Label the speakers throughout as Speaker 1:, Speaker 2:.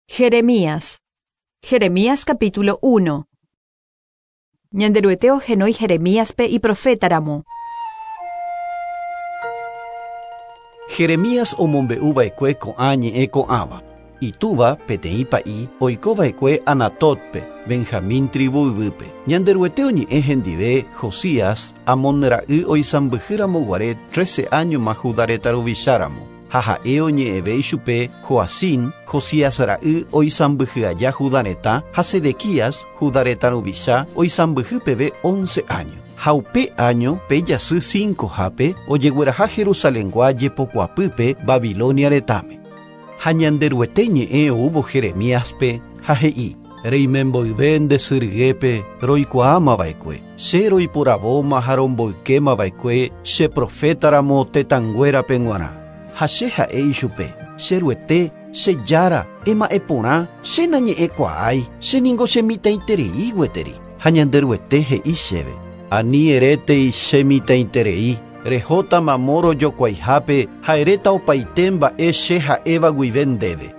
Speaker 1: Jeremías. Jeremías capítulo 1. Ñanderuete ohenói Jeremíaspe iprofétaramo.
Speaker 2: Jeremías omombe'u va'ekue ko'ã ñe'ẽ ko'ãva. Itúva, peteĩ pa'i, oiko va'ekue Anatótpe, Benjamín trívu yvýpe. Ñanderuete oñe'ẽ hendive Josías, Amón ra'y oisãmbyhy ramo guare trece áñoma Judá retã ruvicha ramo. Ha ha'e oñe'ẽve ichupe Joacim, Josías ra'y oisãmbyhy aja Judá retã, ha Sedequías, Judá retã ruvicha, oisãmbyhy peve once áño. Ha upe áño, pe jasy cincohápe, ojegueraha Jerusalengua jepokuapýpe Babilonia retãme. Ha Ñanderuete ñe'ẽ oúvo Jeremíaspe, ha he'i, Reime mboyve nde sy ryépe roikuaáma va'ekue, che roiporavóma ha romboykéma va'ekue che proféta ramo tetãnguérape g̃uarã. Ha che ha'e ichupe, Che Ruete, che Jára, ema'ẽ porã, che nañe'ẽkuaái, che ningo che mitãiterei gueteri. Ha Ñanderuete he'i chéve, Ani erétei che mitãiterei, rehóta mamo rojokuaihápe ha eréta opaite mba'e che ha'éva guive ndéve.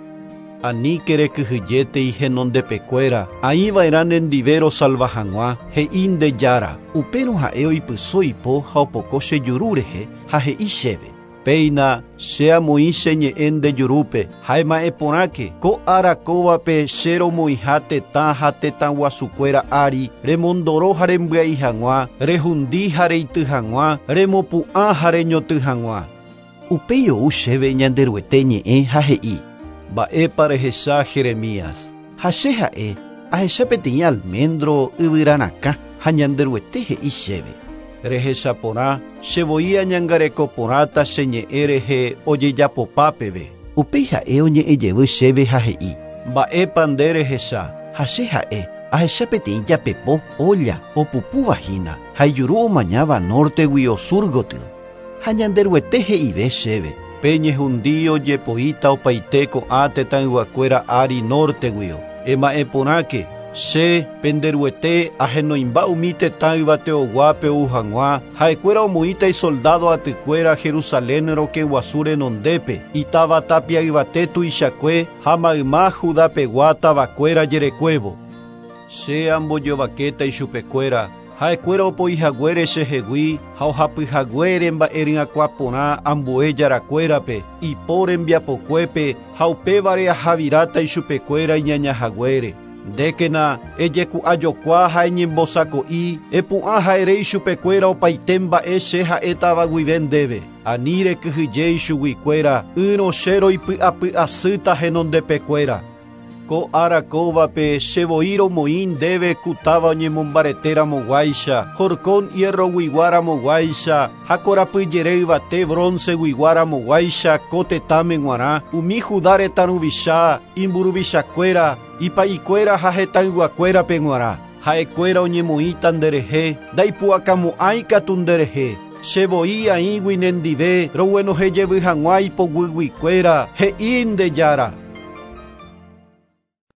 Speaker 2: Aníke rekyhyjétei henondepekuéra, aĩ va'erã nendive rosalva hag̃ua, he'i nde Jára. Upérõ ha'e oipyso ipo ha opoko che juru rehe, ha he'i chéve, Péina, che amoĩ che ñe'ẽ nde jurúpe, ha ema'ẽ porãke, ko ára kóvape che romoĩha tetã ha tetãguasukuéra ári, remondoro ha rembyai hag̃ua, rehundi ha reity hag̃ua, remopu'ã ha reñotỹ hag̃ua. Upéi ou chéve Ñanderuete ñe'ẽ ha he'i, Mba'épa rehecha Jeremías? Ha che ha'e, Ahecha peteĩ alméndro yvyra rakã, ha Ñanderuete he'i chéve, Rehecha porã, che voi añangareko porãta che ñe'ẽ rehe ojejapopa peve. Upéi ha'e oñe'ẽ jevy chéve ha he'i, Mba'épa nde rehecha? Ha che ha'e, Ahecha peteĩ japepo, ólla, opupúva hína, ha ijuru omañáva nórteguio sur gotyo. Ha Ñanderuete he'ive chéve, Pe ñehundi ojepoíta opaite ko'ã tetãyguakuéra ári nórteguio. Ema'ẽ porãke, Che, pende Ruete, ahenoimba umi tetã yvateoguápe ou hag̃ua, ha'ekuéra omoĩta isoldádo atykuéra Jerusalén rokẽguasu renondépe, itáva tapia yvate tuichakue ha mayma Judapegua tavakuéra jerekuévo. Che ambojovakéta ichupekuéra, Ha'ekuéra opoi haguére chehegui ha ohapy haguére mba'e ryakuã porã ambue jarakuérape, ipo rembiapokuépe ha upévare ahaviráta ichupekuéra iñaña haguére. Ndékena, ejeku'ajokua ha eñembosako'i, epu'ã ha ere ichupekuéra opaite mba'e che ha'étava guive ndéve. Ani rekyhyje ichuguikuéra, ỹrõ che roipy'apy asýta henondepekuéra. Ko ára kóvape che voi romoĩ ndéve ku táva oñemombarete ramoguáicha, horkon hierroguigua ramoguáicha, ha korapy jere yvate bronceguigua ramoguáicha ko tetãme g̃uarã, umi Judá retã ruvicha, imburuvichakuéra, ipa'ikuéra ha hetãyguakuérape g̃uarã. Ha'ekuéra oñemoĩta nderehe, ndaipu'akamo'ãi katu nderehe. Che voi aĩgui nendive roguenohẽ jevy hag̃ua ipoguyguikuéra, he'i nde Jára.